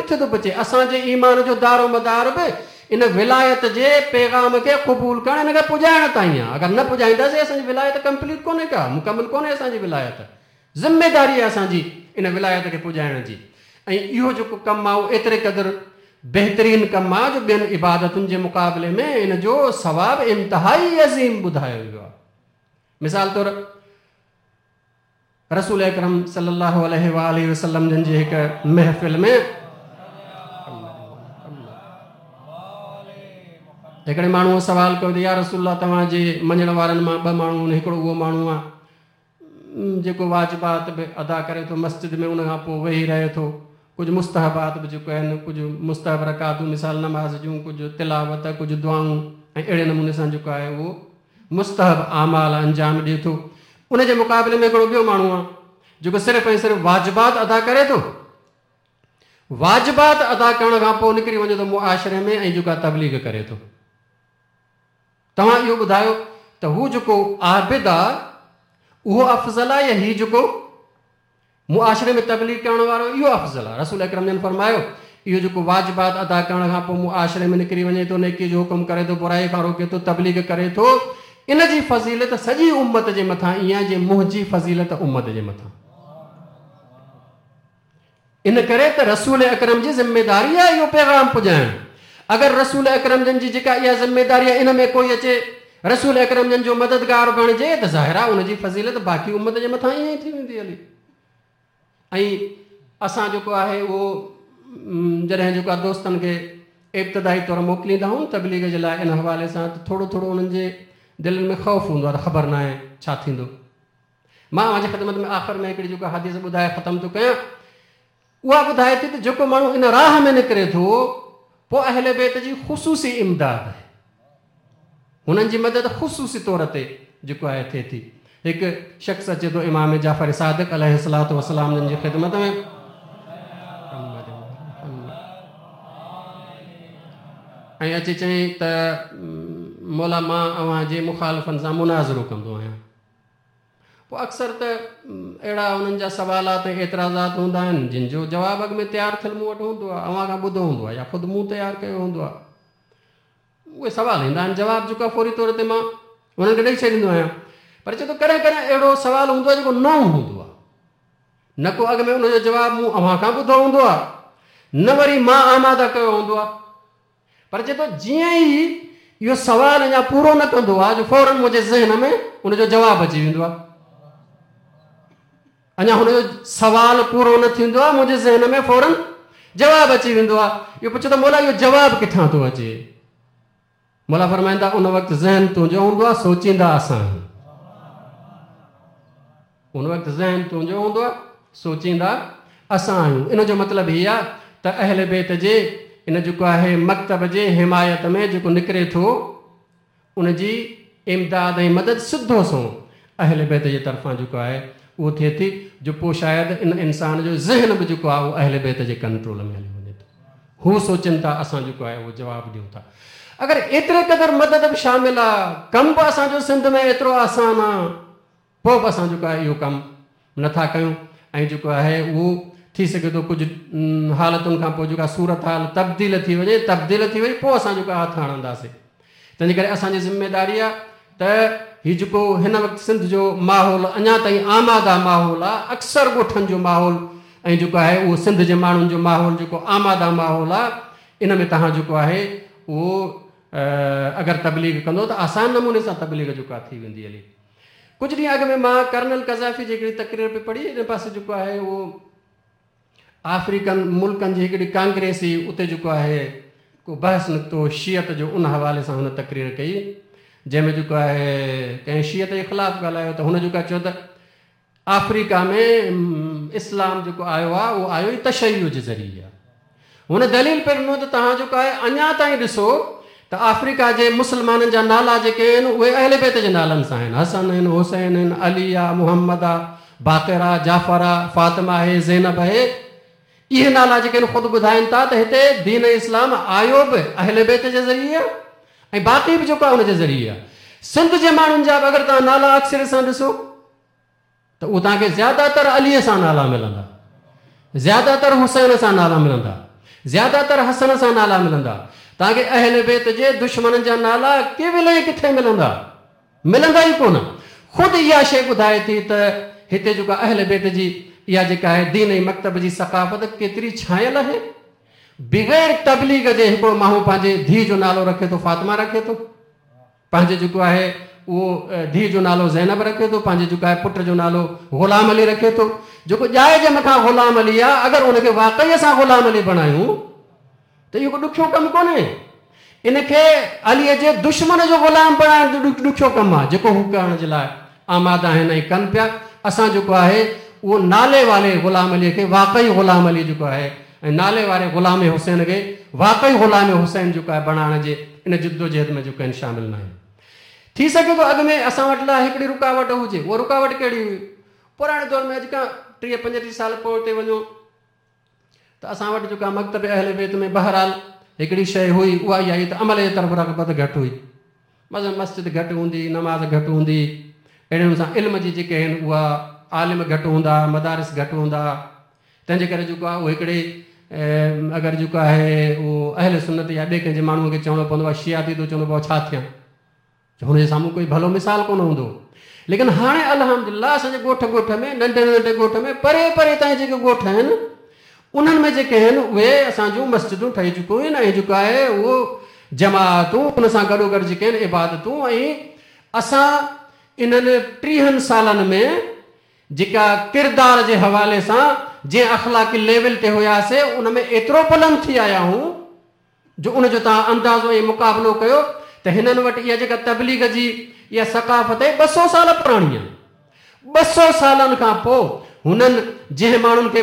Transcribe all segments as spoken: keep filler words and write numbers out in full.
ڪٿي ٿو پهچي؟ اسان جي ايمان جو دارو مدار به ان ولايت جي پيغام کي قبول ڪرڻ، ان کي پڄائڻ تائين آهي. اگر نه پڄائينداسين اسان جي ولايت ڪمپليٽ ڪونهي ڪا، مڪمل ڪونهي اسان جي ولايت. ذميداري آهي اسان جي ان ولايت کي پڄائڻ جي. ۽ اهو جيڪو ڪم آهي اهو ايتري قدر بهترين ڪم آهي جو ٻين عبادتن جي مقابلي ۾ ان جو ثواب انتهائي عظيم ٻڌايو ويو آهي. مثال طور رسول اڪرم صلي الله عليه وآله وسلم جن جي هڪ محفل ۾ هڪڙي ماڻهوءَ سوال ڪيو ته يا رسول الله، توهان جي مڃڻ وارن مان ٻه ماڻهو آهن، هڪڙو اهو ماڻهو آهي جيڪو واجبات به ادا ڪري ٿو مسجد ۾ ان کان پوءِ ويهي رهي ٿو، ڪجهه مستحبات به جيڪو آهن، ڪجهه مستحب رڪعتون مثال نماز جون، ڪجهه تلاوت، ڪجهه دعائون ۽ اهڙي نموني سان جيڪو آهي اهو مستحب اعمال انجام ڏئي ٿو. ان جي مقابلي ۾ هڪڙو ٻيو ماڻهو آهي جيڪو صرف ۽ صرف واجبات ادا ڪري ٿو، واجبات ادا ڪرڻ کان پوءِ نڪري وڃي ٿو معاشري ۾ ۽ جيڪا تبليغ ڪري ٿو. توهان اهو ٻڌايو ته هو جيڪو عابد آهي اهو افضل آهي يا هي جيڪو معاشري ۾ تبليغ ڪرڻ وارو اهو افضل آهي؟ رسول اڪرم جن فرمايو اهو جيڪو واجبات ادا ڪرڻ کان پوءِ معاشري ۾ نڪري وڃي ٿو، نيڪي جو حڪم ڪري ٿو، برائي کان روڪي ٿو، تبليغ ڪري ٿو، ان جي فضيلت سڄي امت جي مٿان ائين آهي جيئن منهنجي فضيلت امت جي مٿان. ان ڪري ته رسول اڪرم جي ذميداري آهي اهو پيغام پڄائڻ. اگر رسول اڪرم جن جي جيڪا اها ذميداري آهي ان ۾ ڪوئي اچي رسول اڪرم جن جو مددگار بڻجي ته ظاهر آهي ان جي فضيلت باقي امت جي مٿان ائين ئي ٿي ويندي هلي. ۽ اسان جيڪو آهي اهو جڏهن جيڪو آهي دوستن کي ابتدائي طور موڪليندا آهيون تبليغ جي لاءِ ان حوالي سان ته ٿورو ٿورو انهن جي دلن ۾ خوف هوندو آهي ته خبر نه آهي ڇا ٿيندو. مان اوهان جي خدمت ۾ آخر ۾ هڪڙي جيڪا حديث ٻڌائي ختم ٿو ڪيان، اها ٻڌائي ٿي ته جيڪو ماڻهو ان راهه ۾ نڪري ٿو پوءِ اهل بيت جي خصوصي امداد آهي، هنن جي مدد خصوصي طور تي جيڪو آهي ٿئي ٿي. هڪ شخص اچي ٿو امام جعفر صادق عليه الصلوة والسلام جن جي خدمت ۾ ۽ اچي چيائين ته مولا مان اوهان جي مخالفن سان مناظرو ڪندو آهيان. پوءِ اڪثر ته اهڙا انهن جا سوالات ۽ اعتراضات هوندا آهن جن جو جواب اڳ ۾ تيار ٿيل مون وٽ هوندو آهي، اوهان کان ٻڌو هوندو آهي يا خود مون تيار ڪيو هوندو آهي. اهي سوال ايندا آهن، جواب جيڪو آهي فوري طور تي مان انهن کي ڏيئي ڇڏيندو آهيان. پر چئي ٿو ڪڏهن ڪڏهن اهڙو سوال هوندو آهي جيڪو نئون هوندو آهي، نه ڪو اڳ ۾ ان جو جواب مون اوهان کان ٻڌو هوندو آهي، نه وري مان آماده ڪيو هوندو آهي. پر چئي ٿو جيئن ئي اهو سوال اڃا پورو نه ڪندو آهي جو فورن منهنجي ذهن ۾ ان جو جواب اچي ويندو آهي. اڃا هن جو سوال پورو نه ٿيندو آهي، منهنجي ذهن ۾ فورن جواب اچي ويندو آهي. اهو پڇو ته مولا اهو جواب ڪٿان ٿو اچي؟ مولا فرمائيندا ان وقت ذهن تنهنجو هوندو آهي، سوچيندا اسان آهيون. ان وقت ذهن تنهنجو هوندو آهي، سوچيندا اسان آهيون. ان جو مطلب هيءَ آهي ته اهل بيت جي ان جيڪو آهي مڪتب جي حمايت ۾ جيڪو نڪري ٿو ان جي امداد ۽ مدد سڌو سنئون اهل بيت جي طرفان جيڪو آهي اهو ٿئي ٿي، جو پوءِ شايد ان انسان جو ذهن به جيڪو آهي اهو اهل بيت جي ڪنٽرول ۾ هلي وڃي ٿو. هو سوچن ٿا اسان جيڪو آهي اهو جواب ڏيون ٿا. اگر ايتري قدر مدد به شامل آهي، ڪم به اسان جو سنڌ ۾ ايترو آسان آهي، پوءِ به اسان جيڪو آهي اهو ڪم نٿا ڪيون. ۽ جيڪو آهي اهو ٿي سگهي ٿو ڪجهه حالتن کان پوءِ جيڪا صورت حال تبديل ٿي وڃي، تبديل ٿي وئي پوءِ اسان جيڪو هٿ هڻنداسين. تنهن جي ڪري اسان جي ذميداري آهي ته هيءُ جيڪو هن وقت سنڌ جو ماحول اڃا تائين آماده ماحول آهي، اڪثر ڳوٺن جو ماحول ۽ جيڪو آهي اهو سنڌ جي ماڻهن جو ماحول جيڪو آماده ماحول آهي، ان ۾ توهان جيڪو آهي اهو اگر تبليغ ڪندو ته آسان نموني سان تبليغ جيڪو آهي ٿي ويندي هلي. ڪجهه ڏينهن اڳ ۾ مان ڪرنل قذافي جي هڪڙي تقرير پئي پڙهي، ان پاسي جيڪو آهي اهو آفريڪن ملڪن جي هڪڙي ڪانگريس هئي، اتي جيڪو آهي ڪو بحث نڪتو شيعت جو، ان حوالي سان هن تقرير ڪئي جنهن ۾ جيڪو آهي ڪنهن شيعت جي خلاف ڳالهايو ته هن جيڪو چيو ته آفريڪا ۾ اسلام جيڪو آيو آهي اهو آيو ئي تشيع جي ذريعي آهي. هن دليل پئي ڏنو ته توهان جيڪو آهي اڃا تائين ڏسو ته آفريڪا جي مسلمانن جا نالا جيڪي آهن اهي اهل بيت جي نالن سان آهن، حسن آهن، حسين آهن، علي آهي، محمد آهي، باقر آهي، جعفر آهي، فاطمه آهي، زينب آهي. اهي نالا جيڪي آهن خود ٻڌائين ٿا ته هتي دين اسلام آيو به اهل بيت جي ذريعي آهي ۽ باقي به جيڪو آهي ان جي ذريعي آهي. سنڌ جي ماڻهن جا به اگر توهان نالا اڪثر سان ڏسو ته اهو توهان کي زياده تر عليءَ سان نالا ملندا، زياده تر حسين سان نالا ملندا، زياده تر حسن سان نالا ملندا. तव्हांखे अहल बैत जे दुश्मननि जा नाला केविल किथे मिलंदा? मिलंदा ई कोन। ख़ुदि इहा शइ ॿुधाए थी त हिते जेको अहल बैत जी इहा जेका आहे दीन ऐं मकतब जी सकाफ़त केतिरी छायल आहे। बग़ैर तबलीग जे हिकिड़ो माण्हू पंहिंजे धीउ जो नालो रखे थो फातिमा रखे थो, पंहिंजे जेको आहे उहो धीउ जो नालो ज़ैनब रखे थो, पंहिंजे जेको आहे पुट जो नालो ग़ुलाम अली रखे थो। जेको ॼाए जे मथां ग़ुलाम अली आहे, अगरि उनखे वाकई असां ग़ुलाम अली बणायूं त इहो को ॾुखियो कमु कोन्हे। इनखे अलीअ जे दुश्मन जो ग़ुलाम बणाइण जो ॾुखियो कमु आहे, जेको हू करण जे लाइ आमादा आहिनि ऐं कनि पिया। असां जेको आहे उहो नाले वारे ग़ुलाम अलीअ खे वाकई ग़ुलाम अली जेको आहे ऐं नाले वारे ग़ुलाम हुसैन खे वाकई ग़ुलाम हुसैन जेको आहे बणाइण जे इन जिदोजहद में जेको आहिनि शामिल न आहिनि। थी सघे थो अॻु में असां वटि लाइ हिकिड़ी रुकावट हुजे। उहा रुकावट कहिड़ी हुई? पुराणे दौर में अॼु खां टीह पंजटीह साल पोइ ते वञो त असां वटि जेको आहे मकतब अहल बैत में बहरहाल हिकिड़ी शइ हुई, उहा इहा हुई त अमल जे तरफ़ रग़बत घटि हुई। मसलन मस्जिद घटि हूंदी, नमाज़ घटि हूंदी, अहिड़े नमूने सां इल्म जी जेके आहिनि उहा आलिम घटि हूंदा, मदारिस घटि हूंदा। तंहिंजे करे जेको आहे उहो हिकिड़े अगरि जेको आहे उहो अहल सुन्नत या ॿिए कंहिंजे माण्हूअ खे चवणो पवंदो आहे शिया थी थो चवंदो बाबा छा थियां, हुनजे साम्हूं कोई भलो मिसाल कोन हूंदो। लेकिन हाणे अल्हम्दुलिल्लाह असांजे ॻोठ ॻोठ में, नंढे नंढे ॻोठ में, परे परे ताईं जेके ॻोठ आहिनि उन्हनि में जेके आहिनि उहे असांजूं मस्जिदूं ठही चुकियूं आहिनि ऐं जेको आहे उहो जमातूं उन सां गॾोगॾु जेके आहिनि इबादतूं। ऐं असां इन्हनि टीहनि सालनि में जेका किरदार जे हवाले सां जंहिं अख़लाक़ी लेवल ते हुयासीं उन में एतिरो बुलंद थी आया आहियूं जो उनजो तव्हां अंदाज़ो ऐं मुक़ाबिलो कयो त हिननि वटि इहा जेका तबलीग जी इहा सकाफ़त आहे ॿ सौ साल पुराणी आहे। ॿ सौ सालनि खां पोइ हुननि जंहिं माण्हुनि खे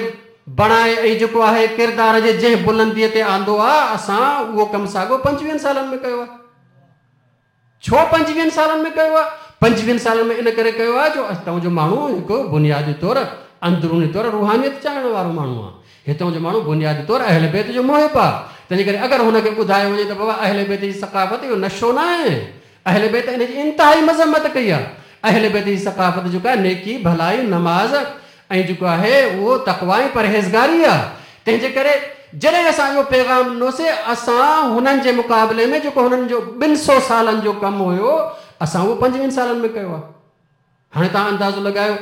बणाए ऐं जेको आहे किरदार जे जंहिं बुलंदीअ ते आंदो आहे, असां उहो कमु साॻियो पंजवीहनि सालनि में कयो आहे। छो पंजवीहनि सालनि में कयो आहे? पंजवीहनि सालनि में इन करे कयो आहे जो हितां जो माण्हू हिकु बुनियादी तौर अंदरूनी तौर रूहानियत चाहिण वारो माण्हू आहे। हितां जो माण्हू बुनियादी तौर अहल बैत जो मुहिब आहे। तंहिंजे करे अगरि हुनखे ॿुधायो वञे त बाबा अहल बैत जी सकाफ़त इहो नशो न आहे, अहल बैत इन जी इंतिहाई मज़म्मत कई आहे। अहल बैत जी सकाफ़त जेका आहे नेकी, भलाई, नमाज़ ऐं जेको आहे उहो तक़वा ऐं परहेज़गारी आहे। तंहिंजे करे जॾहिं असां इहो पैगाम ॾिनोसीं, असां हुननि जे मुक़ाबले में जेको हुननि जो ॿिनि सौ सालनि जो कमु हुयो असां उहो पंजवीहनि सालनि में कयो आहे। हाणे तव्हां अंदाज़ो लॻायो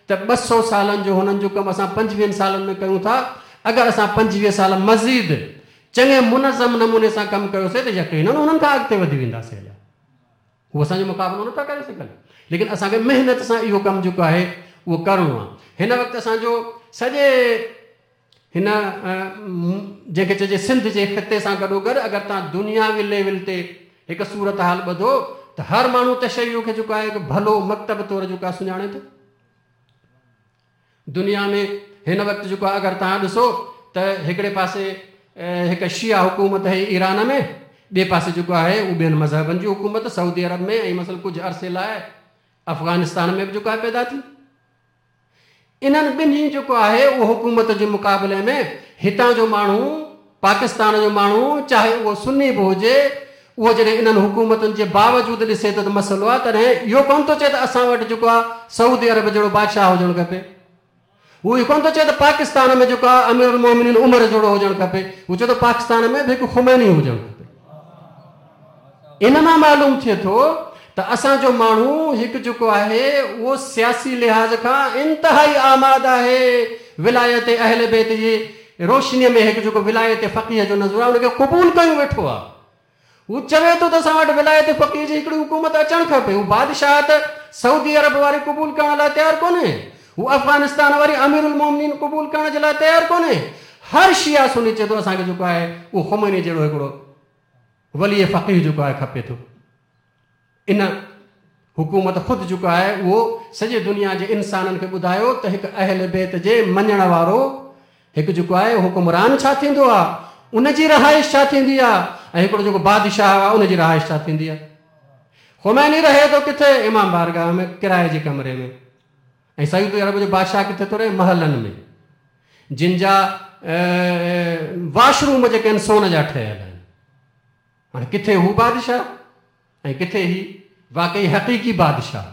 त ॿ सौ सालनि जो हुननि जो कमु असां पंजवीहनि सालनि में कयूं था। अगरि असां पंजवीह साल मज़ीद चङे मुनज़म नमूने सां कमु कयोसीं त यकीनन हुननि खां अॻिते वधी वेंदासीं। अञा हू असांजो मुक़ाबिलो नथा करे सघनि, लेकिन असांखे महिनत सां इहो कमु जेको आहे उहो करिणो आहे। हिन वक़्तु असांजो सॼे हिन जंहिंखे चइजे सिंध जे ख़िते सां गॾोगॾु अगरि तव्हां दुनियावी लेवल ते हिकु सूरत हाल ॿधो त हर माण्हू तशैयो खे जेको आहे हिकु भलो मकतब तौर जेको आहे सुञाणे थो। दुनिया में हिन वक़्तु जेको आहे अगरि तव्हां ॾिसो त हिकिड़े पासे हिकु शिया हुकूमत आहे ईरान में, ॿिए पासे जेको आहे उहो ॿियनि मज़हबनि जी हुकूमत सऊदी अरब में ऐं मसलन कुझु अरसे लाइ अफ़गानिस्तान में बि जेको आहे पैदा थी। इन्हनि ॿिन्ही जेको आहे उहो हुकूमत जे मुक़ाबले में हितां जो माण्हू, पाकिस्तान जो माण्हू, चाहे उहो सुन्नी बि हुजे, उहो जॾहिं इन्हनि हुकूमतुनि जे बावजूद ॾिसे थो त मसइलो आहे, तॾहिं इहो कोन थो चए त असां वटि जेको आहे सऊदी अरब जहिड़ो बादशाह हुजणु खपे, उहो इहो कोन थो चए त पाकिस्तान में जेको आहे अमीर मोमिनीन उमर जहिड़ो हुजणु खपे, उहो चए थो पाकिस्तान में बि हिकु खुमैनी हुजणु खपे। इन मां मालूम थिए थो त असांजो माण्हू हिकु जेको आहे उहो सियासी लिहाज़ खां इंतिहाई आमाद आहे विलायत अहल बैत जी रोशनीअ में हिकु जेको विलायत फ़क़ीह जो नज़र आहे उनखे क़बूल कयूं वेठो आहे। हू चवे थो त असां वटि विलायत फ़क़ीह जी हिकिड़ी हुकूमत अचणु खपे। हू बादशाह त सऊदी अरब वारी क़बूल करण लाइ तयारु कोन्हे, हू अफ़गानिस्तान वारी अमीरुल मोमिनीन क़बूल करण जे लाइ तयारु कोन्हे। हर शिया सुन्नी चए थो असांखे जेको आहे उहो खुमैनी जहिड़ो हिकिड़ो वली फ़क़ीह जेको आहे खपे थो। इन हुकूमत ख़ुदि जेको आहे उहो सॼी दुनिया जे इंसाननि खे ॿुधायो त हिकु अहल बैत जे मञण वारो हिकु जेको आहे हुकुमरान छा थींदो आहे, उनजी रहाइश छा थींदी आहे ऐं हिकिड़ो जेको बादशाह आहे उनजी रहाइश छा थींदी आहे। खुमैनी रहे थो किथे? इमाम बारगाह में किराए जे कमरे में। ऐं सऊदी अरब जो बादशाह किथे थो रहे? महलनि में, जिन जा वाशरूम जेके आहिनि सोन जा ठहियल आहिनि। हाणे किथे हू बादशाह ऐं किथे ही वाकई हक़ीक़ी बादशाह।